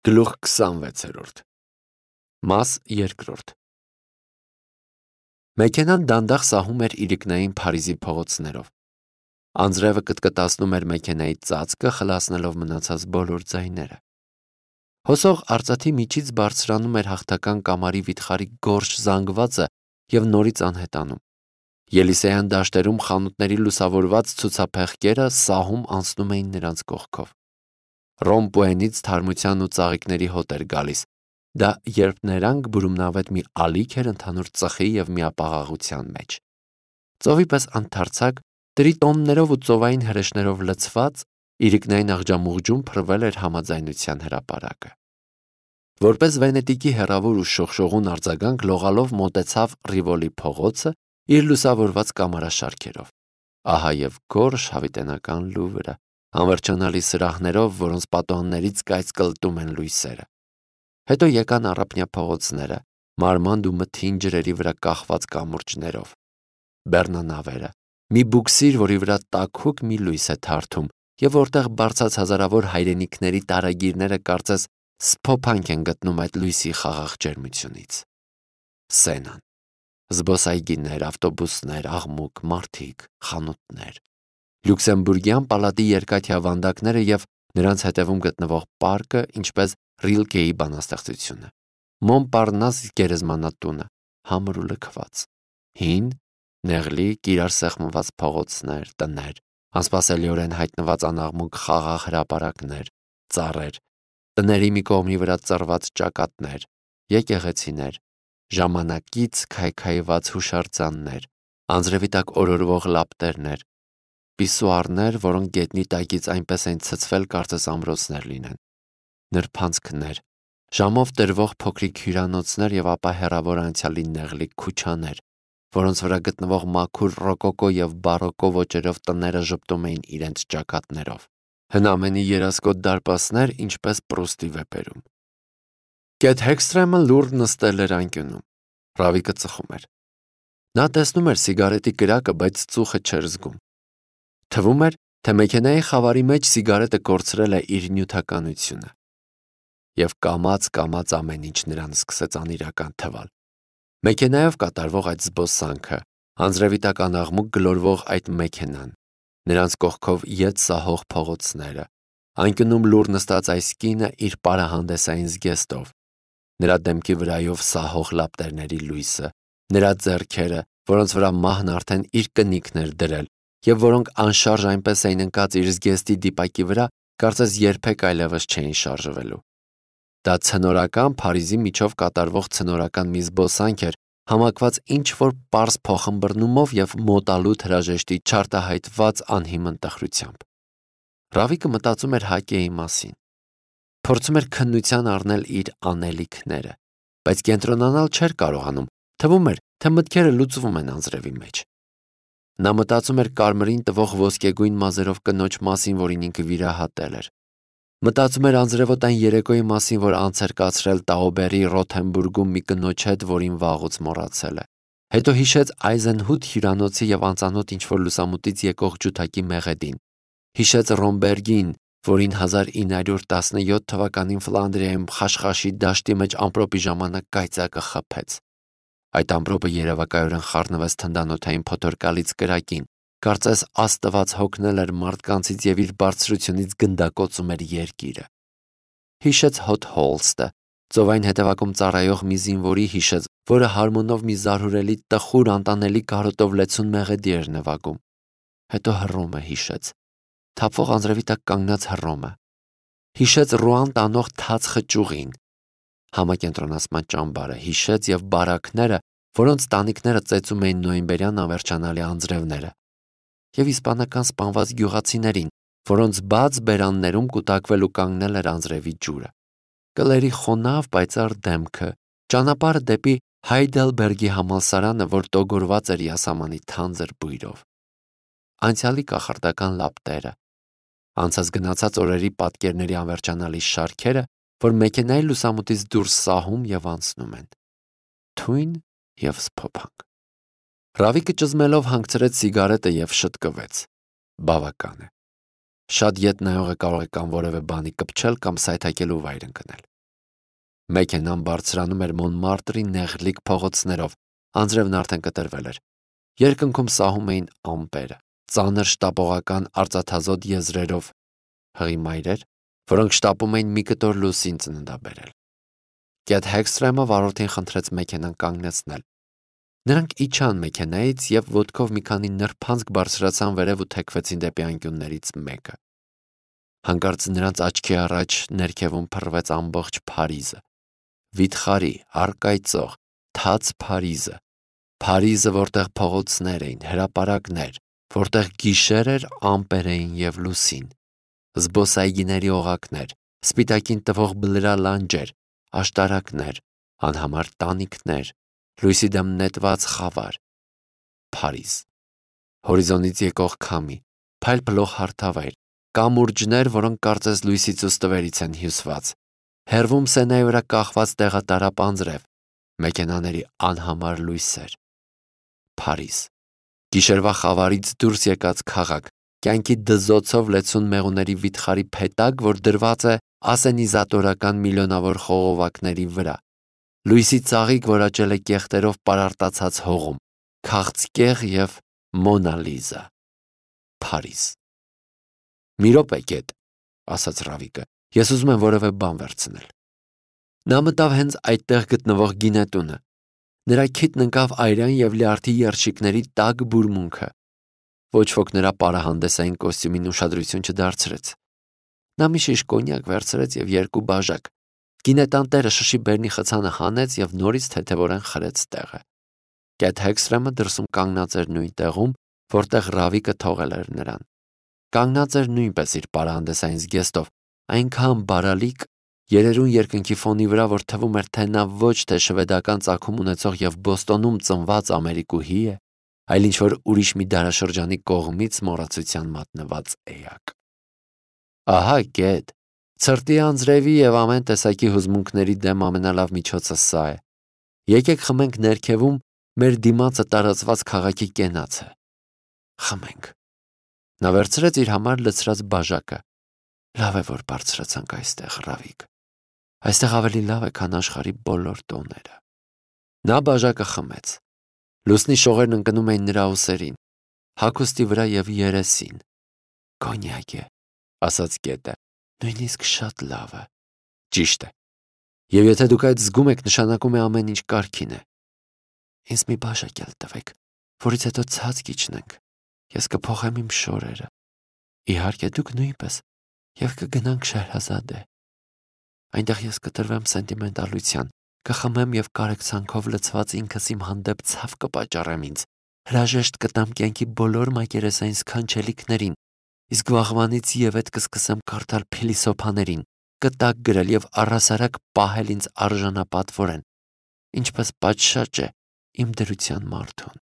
Գլուխ 26 Մաս 2 Մեքենան դանդաղ սահում էր իրիկնային Փարիզի փողոցներով։ Անձրևը կտկտացնում էր մեքենայի ծածկը, խլացնելով մնացած բոլոր ձայները։ Հոսող արծաթի միջից բարձրանում էր հաղթական կամարի վիթխարի գորշ զանգվածը և նորից անհետանում։ Ելիսեյան դաշտերում խանութների լուսավորված ցուցափեղկերը սահում անցնում էին նրանց կողքով։ Ռոմպուենից թարմության ու ծաղիկների հոտ էր գալիս, դա երբ նրանք բուրումնավետ մի ալիք էր ընդհանուր ծխի և միապաղաղության մեջ։ Ծովի պես ընդարձակ, տրիտոններով ու ծովային հրեշներով լցված, իրիկնային աղջամուղջում փռվել էր համաձայնության հրապարակը։ Որպես Վենետիկի հեռավոր ու շողշողուն արձագանք լողալով մոտեցավ Ռիվոլի փողոցը իր լուսավորված կամարաշարքերով։ Ահա և գորշ հավիտենական Լուվրը, անվերջանալի սրահներով, որոնց պատուհաններից կայծ կլտում են լույսերը։ Հետո եկան առափնյա փողոցները, մարմանդ ու մթին ջրերի վրա կախված կամուրջներով։ Բեռնանավերը, մի բուքսիր, որի վրա տաքուկ մի լույս է թարթում, և որտեղ բարձած հազարավոր հայրենիքների տարագիրները կարծես սփոփանք են գտնում այդ լույսի խաղաղ ջերմությունից։ Սենան, զբոսայգիներ, ավտոբուսներ, աղմուկ, մարդիկ, խանութներ, Լյուքսեմբուրգյան պալատի երկաթյա վանդակները և նրանց հետևում գտնվող պարկը, ինչպես Ռիլկեի բանաստեղծությունը, Մոնպարնաս գերեզմանատունը, համր ու լքված, հին, նեղլիկ, իրար սեղմված փողոցներ, տներ, անսպասելիորեն հայտնված անաղմուկ խաղաղ հրապարակներ, ծառեր, տների մի կողմի վրա ծռված ճակատներ, եկեղեցիներ, ժամանակից քայքայված հուշարձաններ, անձրևի տակ օրորվող լապտերներ, պիսուարներ, որոնք գետնի տակից այնպես են ցցվել, կարծես ամրոցներ լինեն, նրբանցքներ, ժամով տրվող փոքրիկ հյուրանոցներ և ապա հեռավոր անցյալի նեղլիկ քուչաներ, որոնց վրա գտնվող մաքուր ռոկոկո և բարոկո ոճերով տները ժպտում էին իրենց ճակատներով, հնամենի երասկոտ դարպասներ, ինչպես Պրուստի վեպերում։ Կեթ Հեքսթրեմը լուռ նստել էր անկյունում։ Ռավիկը ծխում էր։ Նա տեսնում էր սիգարետի կրակը, բայց ծուխը չէր զգում։ Թվում էր, թե մեքենայի խավարի մեջ սիգարետը կորցրել է իր նյութականությունը։ Եվ կամաց ամեն ինչ նրան սկսեց անիրական թվալ։ Մեքենայով կատարվող այդ զբոսանքը, անձրևի տակ անաղմուկ գլորվող այդ մեքենան, նրանց կողքով ետ սահող փողոցները, անկյունում լուռ նստած այս կինը իր պարահանդեսային զգեստով, նրա դեմքի վրայով սահող լապտերների լույսը, նրա ձեռքերը, որոնց վրա մահն արդեն իր կնիքն էր դրել, և որոնք անշարժ այնպես էին ընկած իր զգեստի դիպակի վրա, կարծես երբեք այլևս չէին շարժվելու։ Դա ցնորական Փարիզի միջով կատարվող ցնորական մի զբոսանք էր, համակված ինչ-որ պարզ փոխըմբռնումով և մոտալուտ հրաժեշտի չարտահայտված անհիմն տխրությամբ։ Ռավիկը մտածում էր Հակեի մասին։ Փորձում էր քննության առնել իր անելիքները, բայց կենտրոնանալ չէր կարողանում, թվում էր, թե մտքերը լուծվում են անձրևի մեջ։ Նա մտածում էր կարմրին տվող ոսկեգույն մազերով կնոջ մասին, որին ինքը վիրահատել էր։ Մտածում էր անձրևոտ այն երեկոյի մասին, որ անց էր կացրել Տաուբերի Ռոթենբուրգում մի կնոջ հետ, որին վաղուց մոռացել է։ Հետո հիշեց Այզենհուտ հյուրանոցի և անծանոթ ինչ-որ լուսամուտից եկող ջութակի մեղեդին։ Հիշեց Ռոմբերգին, որին 1917 թվականին Ֆլանդրիայում Խաշխաշի դաշտի մեջ ամպրոպի ժամանակ կայծակը խփեց։ Այդ ամպրոպը երևակայորեն խառնվեց թնդանոթային փոթորկալից կրակին, կարծես Աստված հոգնել էր մարդկանցից և իր բարձրությունից գնդակոծում էր երկիրը։ Հիշեց Հոթ Հոլստը, ծովային հետևակում ծառայող մի զինվորի հիշեց, որը հարմոնով մի զարհուրելի տխուր անտանելի կարոտով լեցուն մեղեդի էր նվագում։ Հետո Հռոմը հիշեց, թափվող անձրևի տակ կանգնած Հռոմը։ Հիշեց Ռուան տանող թաց խճուղին, համակենտրոնացման ճամբարը, հիշեց և բարակները, որոնց տանիքները ծեծում էին նոյեմբերյան անվերջանալի անձրևները, և իսպանական սպանված գյուղացիներին, որոնց բաց բերաններում կուտակվել ու կանգնել էր անձրևի ջուրը, կլերի խոնավ պայծառ դեմքը, ճանապարհը դեպի Հայդելբերգի համալսարանը, որ տոգորված էր յասամանի թանձր բույրով, անցյալի կախարդական լապտերը, անցած գնացած օրերի պատկերների անվերջանալի շարքերը, որ մեքենայի լուսամուտից դուրս սահում և անցնում են, թույն և սփոփանք։ Ռավիկը ճզմելով հանգցրեց սիգարետը և շտկվեց։ Բավական է։ Շատ ետ նայողը կարող է կամ որևէ բանի կպչել, կամ սայթաքելու վայր ընկնել։ Մեքենան բարձրանում էր Մոնմարտրի նեղլիկ փողոցներով, անձրևն արդեն կտրվել էր։ Երկնքում սահում էին ամպերը, ծանր շտապողական արծաթազոտ եզրերով, հղի մայրեր, որոնք շտապում էին մի կտոր լուսին ծննդաբերել։ Կեթ Հեքսթրեմը վարորդին խնդրեց մեքենան կանգնեցնել։ Նրանք իջան մեքենայից և ոտքով մի քանի նրբանցք բարձրացան վերև ու թեքվեցին դեպի անկյուններից մեկը։ Հանկարծ նրանց աչքի առաջ ներքևում փռվեց ամբողջ Փարիզը։ Վիթխարի, առկայծող, թաց Փարիզը, Փարիզը, որտեղ փողոցներ էին, հրապարակներ, որտեղ գիշեր էր, ամպեր էին և լուսին, զբոսայգիների օղակներ, սպիտակին տվող բլրալանջեր, աշտարակներ, անհամար տանիքներ, լույսի դեմ նետված խավար։ Փարիզ։ Հորիզոնից եկող քամի, փայլփլող հարթավայր, կամուրջներ, որոնք կարծես լույսից ու ստվերից են հյուսված, հեռվում Սենայի վրա կախված տեղատարապ անձրև, մեքենաների անհամար լույսեր։ Փարիզ։ Գիշերվա խավարից դուրս եկած քաղաք, կյանքի դզոցով լեցուն մեղուների վիթխարի փետակ, որ դրված է ասենիզատորական միլիոնավոր խողովակների վրա, լույսի ծաղիկ, որ աճել է կեղտերով պարարտացած հողում, քաղցկեղ և Մոնա Լիզա։ Փարիզ։ «Մի րոպե, Կեթ», ասաց Ռավիկը, «ես ուզում եմ որևէ բան վերցնել»։ Նա մտավ հենց այդտեղ գտնվող գինետունը։ Նրա քիթն ընկավ այրան և լյարդի երշիկների տաք բուրմունքը։ Ոչ ոք նրա պարահանդեսային կոստյումին ուշադրություն չդարձրեց։ Նա մի շիշ կոնյակ վերցրեց և 2 բաժակ։ Գինետան տերը շշի բերնի խցանը հանեց և նորից թեթևորեն խրեց տեղը։ Կեթ Հեքսթրեմը դրսում կանգնած էր նույն տեղում, որտեղ Ռավիկը թողել էր նրան։ Կանգնած էր նույնպես իր պարահանդեսային զգեստով, այնքան բարալիկ, երերուն երկնքի ֆոնի վրա, որ թվում էր, թե նա ոչ թե շվեդական ծագում ունեցող և Բոստոնում ծնված ամերիկուհի է, այլ ինչ-որ ուրիշ մի դարաշրջանի կողմից մոռացության մատնված էակ։ Ահա, Կեթ, ցրտի անձրևի և ամեն տեսակի հուզմունքների դեմ ամենալավ միջոցը սա է։ Եկեք խմենք ներքևում մեր դիմացը տարածված քաղաքի կենացը։ Խմենք։ Նա վերցրեց իր համար լցրած բաժակը։ Լավ է, որ բարձրացանք այստեղ, Ռավիկ։ Այստեղ ավելի լավ է, քան աշխարհի բոլոր տոները։ Նա բաժակը խմեց։ Լուսնի շողերն ընկնում էին նրա ուսերին, հագուստի վրա և երեսին։ Կոնյակ է, ասաց Կետը, նույնիսկ շատ լավը։ Ճիշտ է։ Եվ եթե դուք այդ զգում եք, նշանակում է ամեն ինչ կարգին է։ Ինձ մի բաժակ էլ տվեք, որից հետո ցած կիջնենք։ Ես կփոխեմ իմ շորերը։ Իհարկե, դուք նույնպես, և կգնանք Շեհրազադե։ Այնտեղ ես կտրվեմ սենտիմենտալության, կխմեմ և կարեկցանքով լցված ինքս իմ հանդեպ ցավ կպատճառեմ ինձ, հրաժեշտ կտամ կյանքի բոլոր մակերեսային սքանչելիքներին, իսկ վաղվանից ևեթ կսկսեմ կարդալ փիլիսոփաներին, կտակ գրել և առհասարակ պահել ինձ արժանապատվորեն, ինչպես պատշաճ է իմ դրության մարդուն։